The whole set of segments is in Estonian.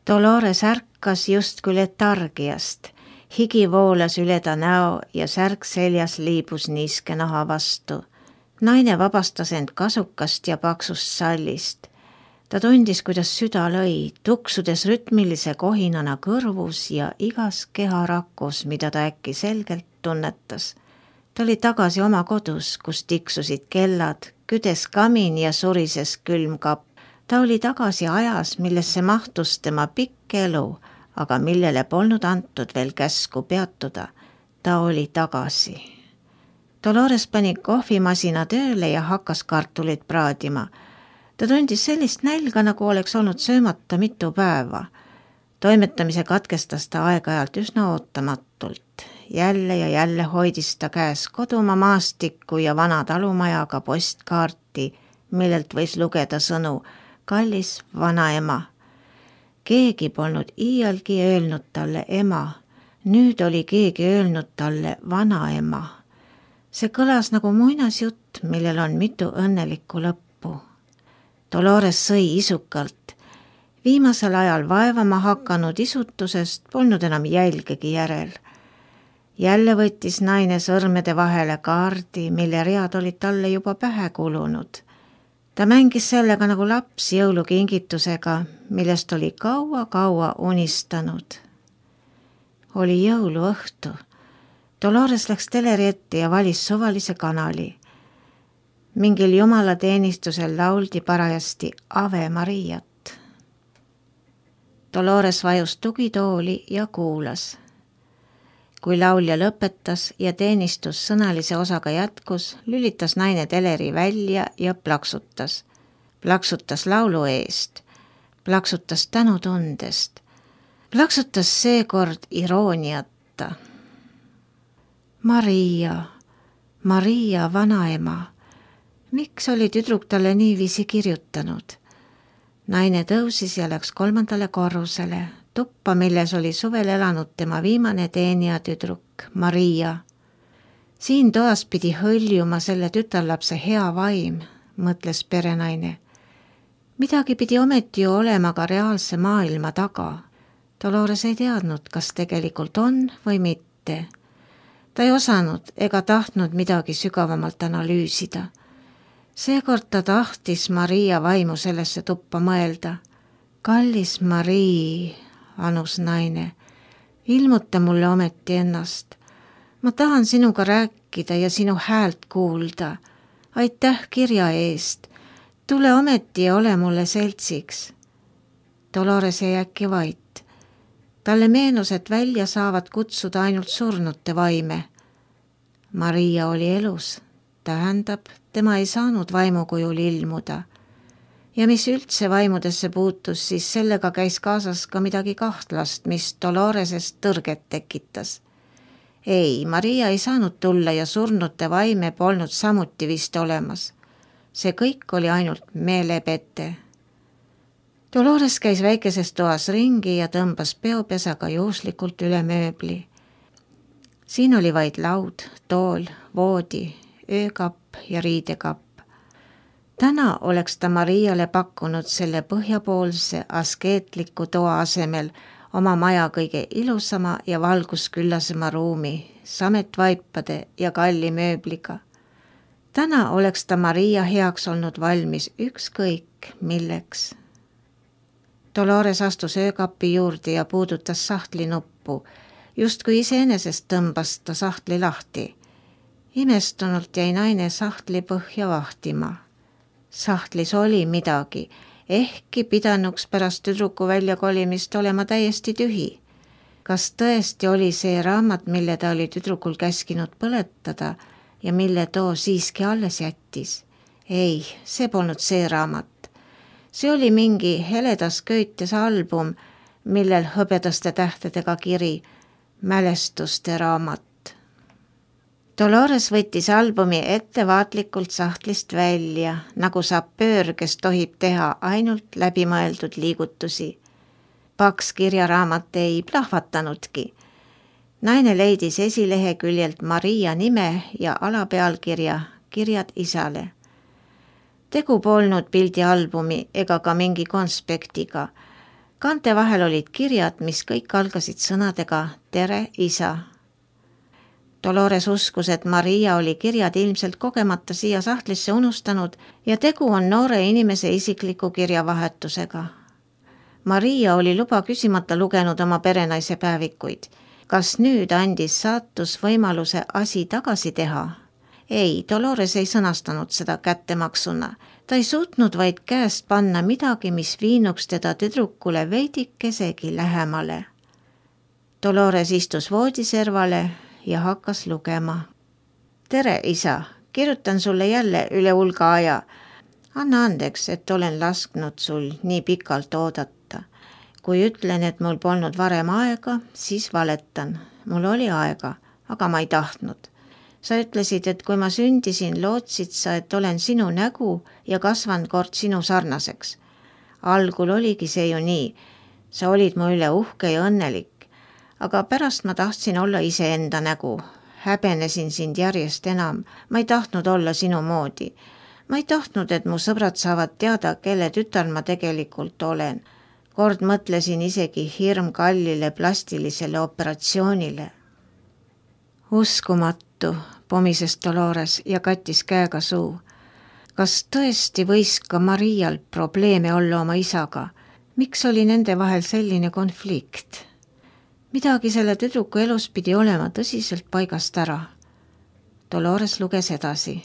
Dolores ärkas justkui letargiast. Higi voolas üle ta näo ja särk seljas liibus niiske naha vastu. Naine vabastas end kasukast ja paksust sallist. Ta tundis, kuidas süda lõi, tuksudes rütmilise kohinana kõrvus ja igas keharakus, mida ta äkki selgelt tunnetas. Ta oli tagasi oma kodus, kus tiksusid kellad, küdes kamin ja surises külmkapp. Ta oli tagasi ajas, millesse mahtus tema pikk elu, aga millele polnud antud veel käsku peatuda. Ta oli tagasi. Dolores pani kohvimasina tööle ja hakkas kartulit praadima. Ta tundis sellist nälga, nagu oleks olnud söömata mitu päeva. Toimetamise katkestas ta aeg-ajalt üsna ootamatult. Jälle ja jälle hoidis ta käes kodumaa maastikku ja vana talumajaga postkaarti, millelt võis lugeda sõnu kallis vanaema. Keegi polnud iialgi öelnud talle ema. Nüüd oli keegi öelnud talle vanaema. See kõlas nagu muinasjutt, millel on mitu õnnelikku lõppu. Dolores sõi isukalt. Viimasel ajal vaevama hakanud isutusest polnud enam jälgegi järel. Jälle võttis naine sõrmede vahele kaardi, mille read olid talle juba pähe kulunud. Ta mängis sellega nagu laps jõulukingitusega, millest oli kaua-kaua unistanud. Oli jõuluõhtu. Dolores läks teleri ette ja valis suvalise kanali. Mingil jumalateenistusel lauldi parajasti Ave Mariat. Dolores vajus tugitooli ja kuulas. Kui laulja lõpetas ja teenistus sõnalise osaga jätkus, lülitas naine teleri välja ja plaksutas. Plaksutas laulu eest, plaksutas tänutundest, plaksutas seekord irooniata. Maria vanaema. Miks oli tüdruk talle niiviisi kirjutanud? Naine tõusis ja läks 3. korrusele, tuppa, milles oli suvel elanud tema viimane teenija tüdruk, Maria. Siin toas pidi hõljuma selle tütarlapse hea vaim, mõtles perenaine. Midagi pidi ometi ju olema ka reaalse maailma taga. Dolores ei teadnud, kas tegelikult on või mitte. Ta ei osanud ega tahtnud midagi sügavamalt analüüsida. Seekord ta tahtis Maria vaimu sellesse tuppa mõelda. Kallis Marii, anus naine, ilmuta mulle ometi ennast. Ma tahan sinuga rääkida ja sinu häält kuulda. Aitäh kirja eest. Tule ometi ja ole mulle seltsiks. Dolores jäi äkki vait. Talle meenus, et välja saavad kutsuda ainult surnute vaime. Maria oli elus. Tähendab, tema ei saanud vaimukujul ilmuda. Ja mis üldse vaimudesse puutus, siis sellega käis kaasas ka midagi kahtlast, mis Doloresest tõrget tekitas. Ei, Maria ei saanud tulla ja surnute vaime polnud samuti vist olemas. See kõik oli ainult meelepete. Dolores käis väikeses toas ringi ja tõmbas peopesaga juhuslikult üle mööbli. Siin oli vaid laud, tool, voodi, öökapp ja riidekapp. Täna oleks ta Mariale pakkunud selle põhjapoolse askeetliku toa asemel oma maja kõige ilusama ja valgusküllasema ruumi, sametvaipade ja kalli mööbliga. Täna oleks ta Maria heaks olnud valmis ükskõik milleks. Dolores astus öökapi juurde ja puudutas sahtli nuppu, justkui iseenesest tõmbas ta sahtli lahti. Imestunult jäi naine sahtli põhja vahtima. Sahtlis oli midagi, ehkki pidanuks pärast tüdruku väljakolimist olema täiesti tühi. Kas tõesti oli see raamat, mille ta oli tüdrukul käskinud põletada ja mille too siiski alles jättis? Ei, see polnud see raamat. See oli mingi heledas köites album, millel hõbedaste tähtedega kiri mälestuste raamat. Dolores võttis albumi ettevaatlikult sahtlist välja, nagu sapöör, kes tohib teha ainult läbimõeldud liigutusi. Paks kirjaraamat ei plahvatanudki. Naine leidis esileheküljelt Maria nime ja alapealkirja Kirjad isale. Tegu polnud pildialbumi ega ka mingi konspektiga. Kaante vahel olid kirjad, mis kõik algasid sõnadega tere, isa. Dolores uskus, et Maria oli kirjad ilmselt kogemata siia sahtlisse unustanud ja tegu on noore inimese isikliku kirjavahetusega. Maria oli luba küsimata lugenud oma perenaise päevikuid. Kas nüüd andis saatus võimaluse asi tagasi teha? Ei, Dolores ei sõnastanud seda kättemaksuna. Ta ei suutnud vaid käest panna midagi, mis viinuks teda tüdrukule veidikesegi lähemale. Dolores istus voodiservale ja hakkas lugema. Tere, isa, kirjutan sulle jälle üle hulga aja. Anna andeks, et olen lasknud sul nii pikalt oodata. Kui ütlen, et mul polnud varem aega, siis valetan. Mul oli aega, aga ma ei tahtnud. Sa ütlesid, et kui ma sündisin, lootsid sa, et olen sinu nägu ja kasvan kord sinu sarnaseks. Algul oligi see ju nii. Sa olid mu üle uhke ja õnnelik, aga pärast ma tahtsin olla iseenda nägu. Häbenesin sind järjest enam. Ma ei tahtnud olla sinu moodi. Ma ei tahtnud, et mu sõbrad saavad teada, kelle tütar ma tegelikult olen. Kord mõtlesin isegi hirmkallile plastilisele operatsioonile. Uskumatu, pomises Dolores ja kattis käega suu. Kas tõesti võis ka Marial probleeme olla oma isaga? Miks oli nende vahel selline konflikt? Midagi selle tüdruku elus pidi olema tõsiselt paigast ära. Dolores luges edasi.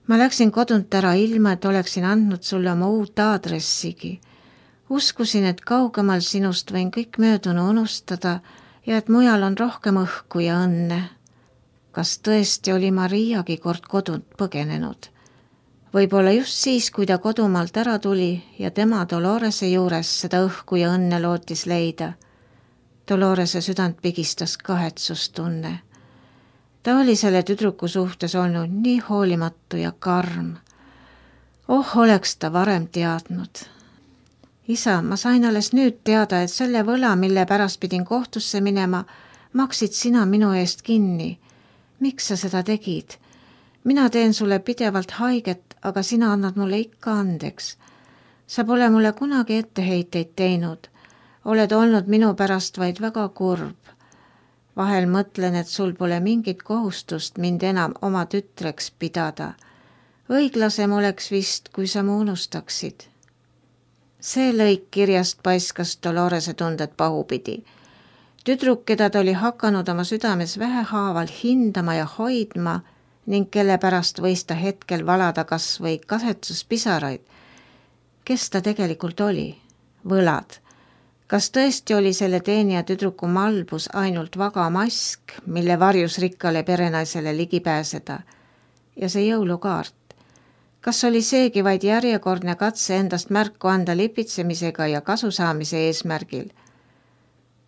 Ma läksin kodunt ära ilma, et oleksin andnud sulle oma uut aadressigi. Uskusin, et kaugemal sinust võin kõik möödunu unustada ja et mujal on rohkem õhku ja õnne. Kas tõesti oli Mariagi kord kodunt põgenenud? Võib-olla just siis, kui ta kodumaalt ära tuli ja tema Dolorese juures seda õhku ja õnne lootis leida. Dolorese südant pigistas kahetsustunne. Ta oli selle tüdruku suhtes olnud nii hoolimatu ja karm. Oleks ta varem teadnud. Isa, ma sain alles nüüd teada, et selle võla, mille pärast pidin kohtusse minema, maksid sina minu eest kinni. Miks sa seda tegid? Mina teen sulle pidevalt haiget, aga sina annad mulle ikka andeks. Sa pole mulle kunagi etteheiteid teinud. Oled olnud minu pärast vaid väga kurb. Vahel mõtlen, et sul pole mingit kohustust mind enam oma tütreks pidada. Õiglasem oleks vist, kui sa mu unustaksid. See lõik kirjast paiskas Dolorese tunded pahupidi. Tüdruk, keda ta oli hakanud oma südames vähehaaval hindama ja hoidma ning kelle pärast võis ta hetkel valada kas või kasetsuspisaraid. Kes ta tegelikult oli? Võlad. Kas tõesti oli selle teenija tüdruku malbus ainult vaga mask, mille varjus rikkale perenaisele ligi pääseda? Ja see jõulukaart. Kas oli seegi vaid järjekordne katse endast märku anda lipitsemisega ja kasusaamise eesmärgil?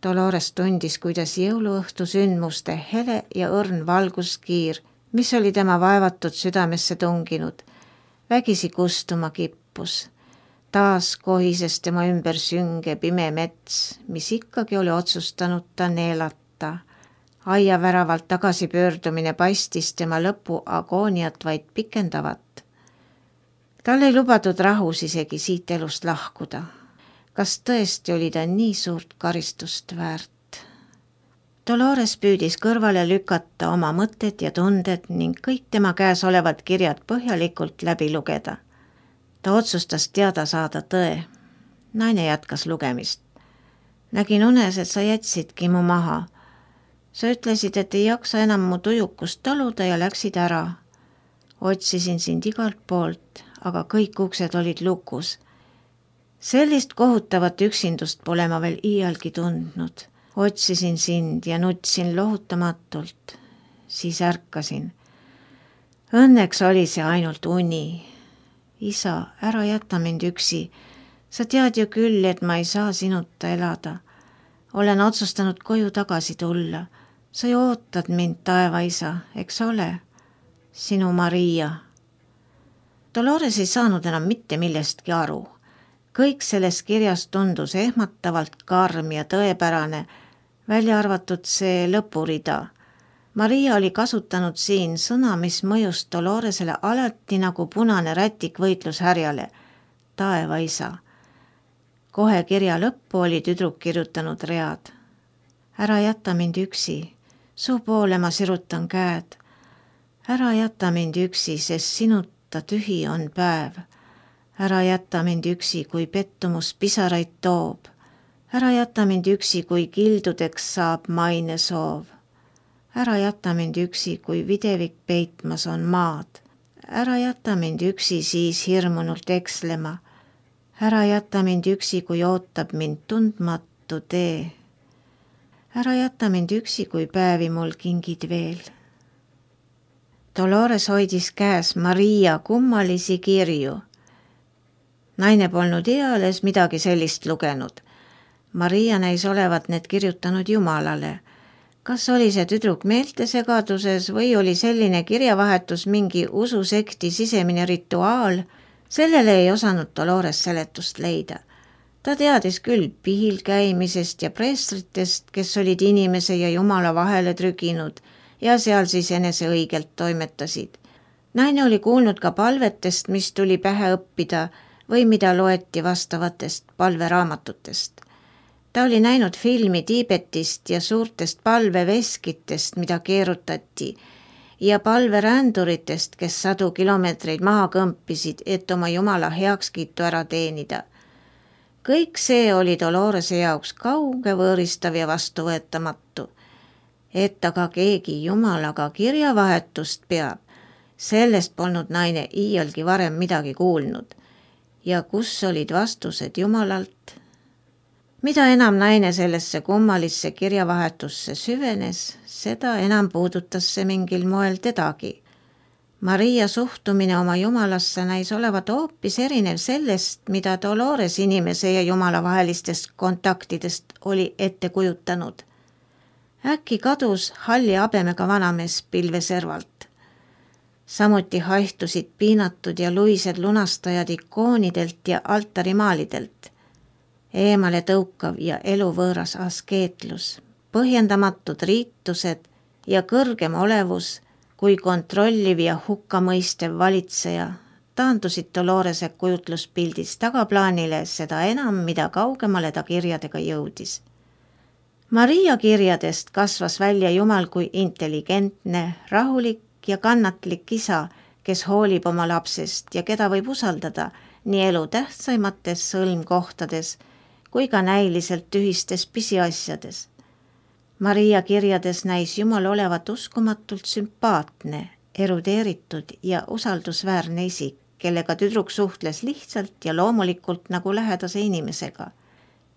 Dolores tundis, kuidas jõuluõhtu sündmuste hele ja õrn valguskiir, mis oli tema vaevatud südamesse tunginud, vägisi kustuma kippus. Taas kohises tema ümber sünge pime mets, mis ikkagi oli otsustanud ta neelata. Aia väravalt tagasi pöördumine paistis tema lõpu agooniat vaid pikendavat. Tal ei lubatud rahus isegi siit elust lahkuda. Kas tõesti oli ta nii suurt karistust väärt? Dolores püüdis kõrvale lükata oma mõtted ja tunded ning kõik tema käes olevad kirjad põhjalikult läbi lugeda. Ta otsustas teada saada tõe. Naine jätkas lugemist. Nägin unes, et sa jätsidki mu maha. Sa ütlesid, et ei jaksa enam mu tujukust taluda ja läksid ära. Otsisin sind igalt poolt, aga kõik uksed olid lukus. Sellist kohutavat üksindust pole ma veel iialgi tundnud. Otsisin sind ja nutsin lohutamatult. Siis ärkasin. Õnneks oli see ainult uni. Isa, ära jäta mind üksi. Sa tead ju küll, et ma ei saa sinuta elada. Olen otsustanud koju tagasi tulla. Sa ju ootad mind, taevaisa, eks ole? Sinu Maria. Dolores ei saanud enam mitte millestki aru. Kõik selles kirjas tundus ehmatavalt karm ja tõepärane, välja arvatud see lõpurida. Maria oli kasutanud siin sõna, mis mõjus Doloresele alati nagu punane rätik võitlushärjale. Taevaisa. Kohe kirja lõppu oli tüdruk kirjutanud read. Ära jäta mind üksi, su poole ma sirutan käed. Ära jäta mind üksi, sest sinuta tühi on päev. Ära jäta mind üksi, kui pettumus pisaraid toob. Ära jäta mind üksi, kui kildudeks saab maine soov. Ära jäta mind üksi, kui videvik peitmas on maad. Ära jäta mind üksi siis hirmunult ekslema. Ära jäta mind üksi, kui ootab mind tundmatu tee. Ära jäta mind üksi, kui päevi mul kingid veel. Dolores hoidis käes Maria kummalisi kirju. Naine polnud eales midagi sellist lugenud. Maria näis olevat need kirjutanud Jumalale. Kas oli see tüdruk meeltesegaduses või oli selline kirjavahetus mingi ususekti sisemine rituaal? Sellele ei osanud Dolores seletust leida. Ta teadis küll pihil käimisest ja preestritest, kes olid inimese ja Jumala vahele trüginud ja seal siis enese õigelt toimetasid. Naine oli kuulnud ka palvetest, mis tuli pähe õppida või mida loeti vastavatest palveraamatutest. Ta oli näinud filmi Tiibetist ja suurtest palveveskitest, mida keerutati, ja palveränduritest, kes 100 kilomeetreid maha kõmpisid, et oma Jumala heakskiitu ära teenida. Kõik see oli Dolorese jaoks kauge, võõristav ja vastuvõetamatu. Et aga keegi Jumalaga kirjavahetust peab, sellest polnud naine iialgi varem midagi kuulnud. Ja kus olid vastused Jumalalt? Mida enam naine sellesse kummalisse kirjavahetusse süvenes, seda enam puudutas see mingil moel tedagi. Maria suhtumine oma Jumalasse näis olevat hoopis erinev sellest, mida Dolores inimese ja Jumala vahelistest kontaktidest oli ette kujutanud. Äkki kadus halli habemega vanamees pilve servalt. Samuti haihtusid piinatud ja luised lunastajad ikoonidelt ja altarimaalidelt. Eemale tõukav ja eluvõõras askeetlus, põhjendamatud riitused ja kõrgem olevus kui kontrolliv ja hukkamõistev valitseja taandusid Dolorese kujutluspildis tagaplaanile seda enam, mida kaugemale ta kirjadega jõudis. Maria kirjadest kasvas välja Jumal kui intelligentne, rahulik ja kannatlik isa, kes hoolib oma lapsest ja keda võib usaldada nii elu tähtsaimates sõlmkohtades kui ka näiliselt tühistes pisiasjades. Maria kirjades näis Jumal olevat uskumatult sümpaatne, erudeeritud ja usaldusväärne isik, kellega tüdruk suhtles lihtsalt ja loomulikult nagu lähedase inimesega.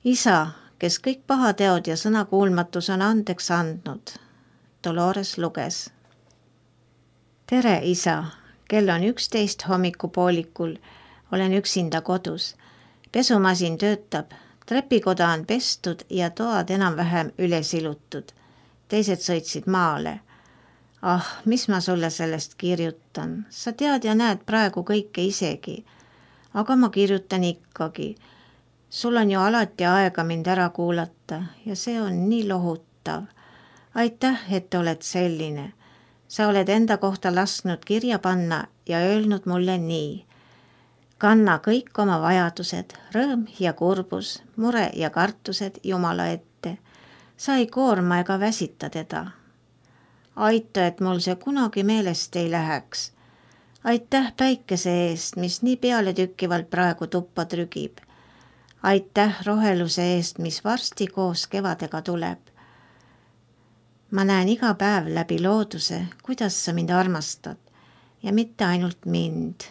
Isa, kes kõik pahateod ja sõnakuulmatus on andeks andnud. Dolores luges. Tere, isa, kell on 11 hommikupoolikul, olen üksinda kodus. Pesumasin töötab. Trepikoda on pestud ja toad enam-vähem üles ilutud. Teised sõitsid maale. Mis ma sulle sellest kirjutan? Sa tead ja näed praegu kõike isegi. Aga ma kirjutan ikkagi. Sul on ju alati aega mind ära kuulata ja see on nii lohutav. Aitäh, et oled selline. Sa oled enda kohta lasknud kirja panna ja öelnud mulle nii. Kanna kõik oma vajadused, rõõm ja kurbus, mure ja kartused Jumala ette. Sa ei koorma ega väsita teda. Aita, et mul see kunagi meelest ei läheks. Aitäh päikese eest, mis nii pealetükkivalt praegu tuppa trügib. Aitäh roheluse eest, mis varsti koos kevadega tuleb. Ma näen iga päev läbi looduse, kuidas sa mind armastad ja mitte ainult mind.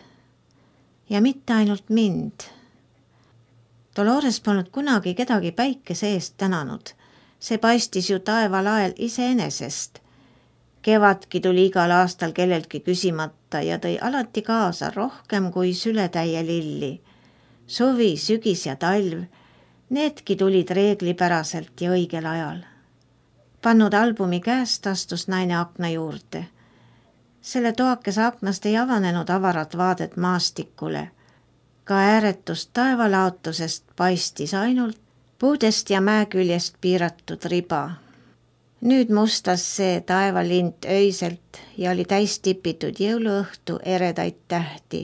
Ja mitte ainult mind. Dolores polnud kunagi kedagi päikese eest tänanud. See paistis ju taevalael iseenesest. Kevadki tuli igal aastal kelleltki küsimata ja tõi alati kaasa rohkem kui sületäie lilli. Suvi, sügis ja talv, needki tulid reeglipäraselt ja õigel ajal. Pannud albumi käest astus naine akna juurde. Selle toakese aknast ei avanenud avarat vaadet maastikule. Ka ääretust taevalaotusest paistis ainult puudest ja mäeküljest piiratud riba. Nüüd mustas see taevalint öiselt ja oli täis tipitud jõuluõhtu eredaid tähti.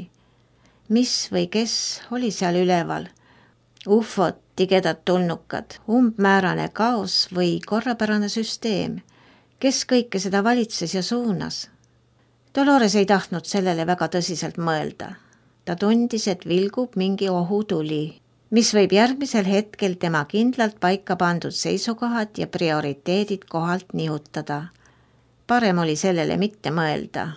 Mis või kes oli seal üleval? Ufod, tigedad tulnukad, umbmäärane kaos või korrapärane süsteem. Kes kõike seda valitses ja suunas? Dolores ei tahtnud sellele väga tõsiselt mõelda. Ta tundis, et vilgub mingi ohutuli, mis võib järgmisel hetkel tema kindlalt paika pandud seisukohad ja prioriteedid kohalt nihutada. Parem oli sellele mitte mõelda.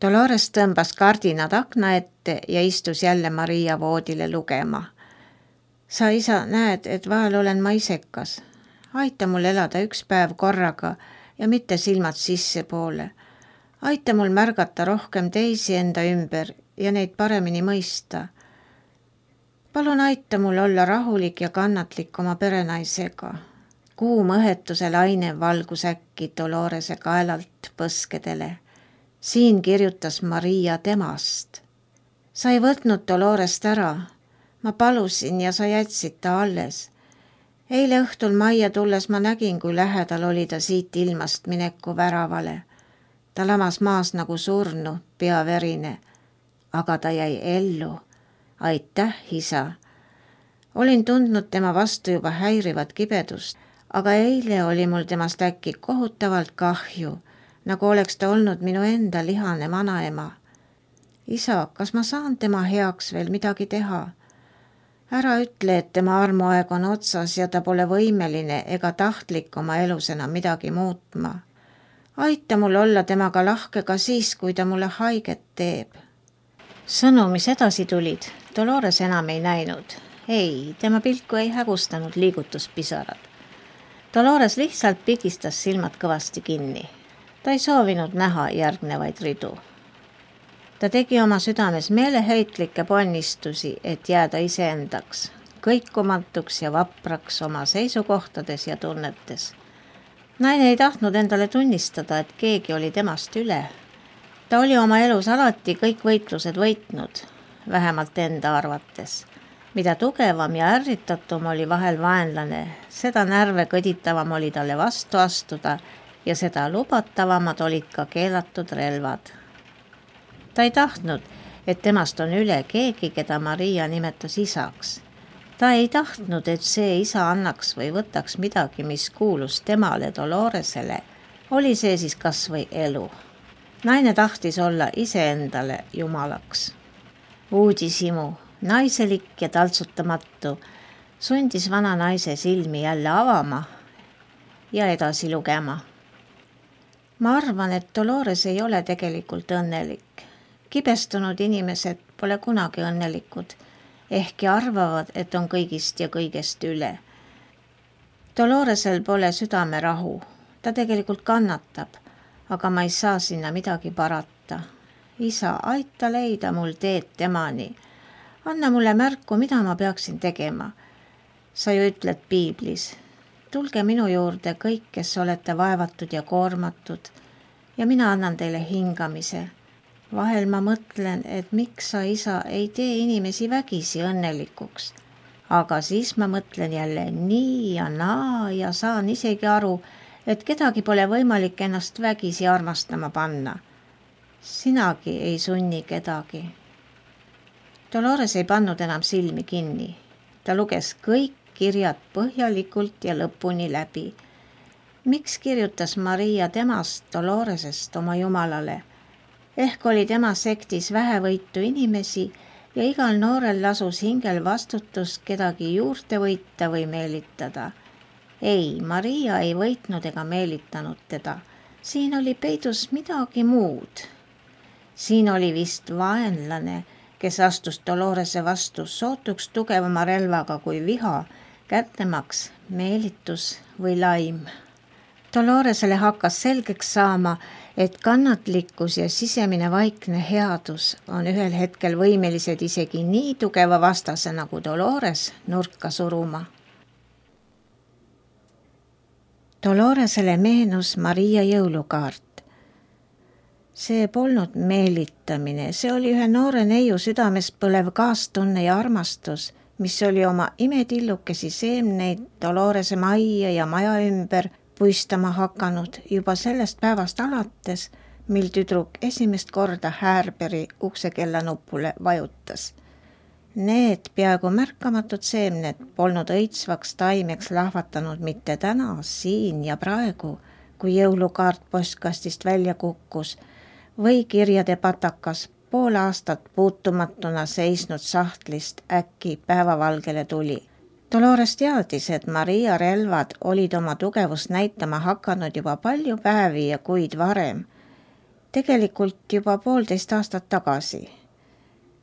Dolores tõmbas kardinad akna ette ja istus jälle Maria voodile lugema. Sa, isa, näed, et vahel olen ma isekas. Aita mul elada üks päev korraga ja mitte silmad sissepoole. Aita mul märgata rohkem teisi enda ümber ja neid paremini mõista. Palun aita mul olla rahulik ja kannatlik oma perenaisega. Kuum õhetuse laine valgus äkki Dolorese kaelalt põskedele. Siin kirjutas Maria temast. Sa ei võtnud Dolorest ära. Ma palusin ja sa jätsid ta alles. Eile õhtul majja tulles ma nägin, kui lähedal oli ta siit ilmast mineku väravale. Ta lamas maas nagu surnu, pea verine. Aga ta jäi ellu. Aitäh, isa. Olin tundnud tema vastu juba häirivat kibedust, aga eile oli mul temast äkki kohutavalt kahju, nagu oleks ta olnud minu enda lihane vanaema. Isa, kas ma saan tema heaks veel midagi teha? Ära ütle, et tema armuaeg on otsas ja ta pole võimeline ega tahtlik oma elus enam midagi muutma. Aita mul olla temaga lahke ka siis, kui ta mulle haiget teeb. Sõnu, mis edasi tulid, Dolores enam ei näinud. Ei, tema pilku ei hägustanud liigutuspisarad. Dolores lihtsalt pigistas silmad kõvasti kinni. Ta ei soovinud näha järgnevaid ridu. Ta tegi oma südames meeleheitlikke ponnistusi, et jääda iseendaks, kõikumatuks ja vapraks oma seisukohtades ja tunnetes. Naine ei tahtnud endale tunnistada, et keegi oli temast üle. Ta oli oma elus alati kõik võitlused võitnud, vähemalt enda arvates. Mida tugevam ja ärritatum oli vahel vaenlane, seda närve kõditavam oli talle vastu astuda ja seda lubatavamad olid ka keelatud relvad. Ta ei tahtnud, et temast on üle keegi, keda Maria nimetas isaks. Ta ei tahtnud, et see isa annaks või võtaks midagi, mis kuulus temale Doloresele, oli see siis kas või elu. Naine tahtis olla iseendale jumalaks. Uudishimu, naiselik ja taltsutamatu, sundis vana naise silmi jälle avama ja edasi lugema. Ma arvan, et Dolores ei ole tegelikult õnnelik. Kibestunud inimesed pole kunagi õnnelikud, ehkki arvavad, et on kõigist ja kõigest üle. Doloresel pole südamerahu, ta tegelikult kannatab, aga ma ei saa sinna midagi parata. Isa, aita leida mul teed temani. Anna mulle märku, mida ma peaksin tegema. Sa ju ütled piiblis, tulge minu juurde kõik, kes olete vaevatud ja koormatud, ja mina annan teile hingamise. Vahel ma mõtlen, et miks sa, isa, ei tee inimesi vägisi õnnelikuks. Aga siis ma mõtlen jälle nii ja naa ja saan isegi aru, et kedagi pole võimalik ennast vägisi armastama panna. Sinagi ei sunni kedagi. Dolores ei pannud enam silmi kinni. Ta luges kõik kirjad põhjalikult ja lõpuni läbi. Miks kirjutas Maria temast, Doloresest oma jumalale? Ehk oli tema sektis vähevõitu inimesi ja igal noorel lasus hingel vastutus kedagi juurde võita või meelitada. Ei, Maria ei võitnud ega meelitanud teda. Siin oli peidus midagi muud. Siin oli vist vaenlane, kes astus Dolorese vastu sootuks tugevama relvaga kui viha, kättemaks, meelitus või laim. Doloresele hakkas selgeks saama, et kannatlikkus ja sisemine vaikne headus on ühel hetkel võimelised isegi nii tugeva vastase nagu Dolores nurka suruma. Doloresele meenus Maria jõulukaart. See polnud meelitamine, see oli ühe noore neiu südames põlev kaastunne ja armastus, mis oli oma imetillukesi seemneid Dolorese majja ja maja ümber puistama hakanud juba sellest päevast alates, mil tüdruk esimest korda Härberi uksekella nupule vajutas. Need peaaegu märkamatud seemned polnud õitsvaks taimeks lahvatanud mitte täna, siin ja praegu, kui jõulukaart postkastist välja kukkus või kirjade patakas pool aastat puutumatuna seisnud sahtlist äkki päevavalgele tuli. Dolores teadis, et Maria relvad olid oma tugevust näitama hakanud juba palju päevi ja kuid varem, tegelikult juba 1,5 aastat tagasi.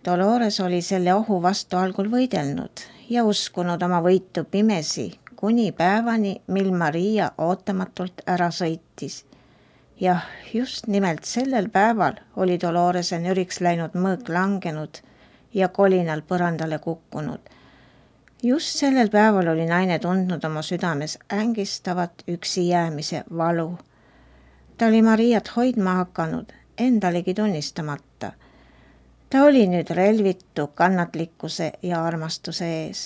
Dolores oli selle ohu vastu algul võidelnud ja uskunud oma võitu pimesi kuni päevani, mil Maria ootamatult ära sõitis. Jah, just nimelt sellel päeval oli Dolorese nüriks läinud mõõk langenud ja kolinal põrandale kukkunud. Just sellel päeval oli naine tundnud oma südames ängistavat üksi jäämise valu. Ta oli Mariat hoidma hakanud, endalegi tunnistamata. Ta oli nüüd relvitu kannatlikkuse ja armastuse ees.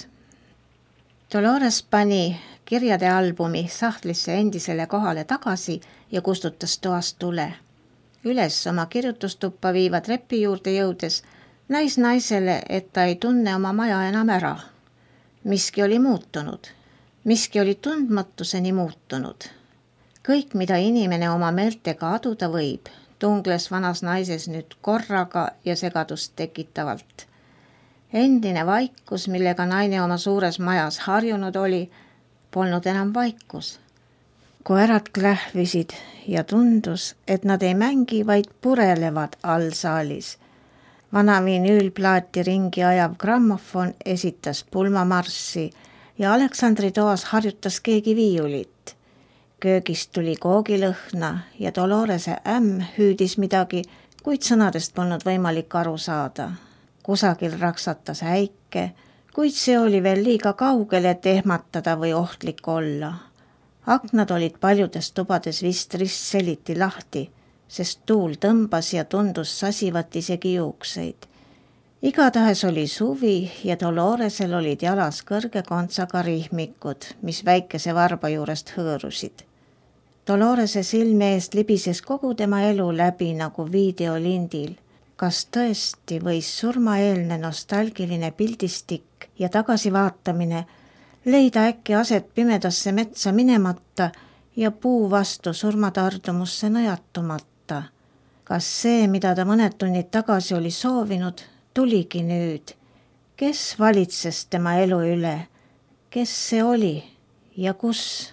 Dolores pani kirjade albumi sahtlisse endisele kohale tagasi ja kustutas toast tule. Üles oma kirjutustuppa viiva trepi juurde jõudes näis naisele, et ta ei tunne oma maja enam ära. Miski oli muutunud. Miski oli tundmatuseni muutunud. Kõik, mida inimene oma meeltega aduda võib, tungles vanas naises nüüd korraga ja segadust tekitavalt. Endine vaikus, millega naine oma suures majas harjunud oli, polnud enam vaikus. Koerad klähvisid ja tundus, et nad ei mängi, vaid purelevad all saalis. Vana vinüülplaati ringi ajav grammofon esitas pulmamarssi ja Aleksandri toas harjutas keegi viiulit. Köögist tuli koogilõhna ja Dolorese hüüdis midagi, kuid sõnadest polnud võimalik aru saada. Kusagil raksatas äike, kuid see oli veel liiga kaugel, et ehmatada või ohtlik olla. Aknad olid paljudes tubades vist ristseliti lahti, sest tuul tõmbas ja tundus sasivat isegi juukseid. Igatahes oli suvi ja Doloresel olid jalas kõrge kontsaga rihmikud, mis väikese varba juurest hõõrusid. Dolorese silme eest libises kogu tema elu läbi nagu videolindil. Kas tõesti võis surmaeelne nostalgiline pildistik ja tagasivaatamine leida äkki aset pimedasse metsa minemata ja puu vastu surmatardumusse nõjatumata? Kas see, mida ta mõned tunnid tagasi oli soovinud, tuligi nüüd? Kes valitses tema elu üle? Kes see oli ja kus?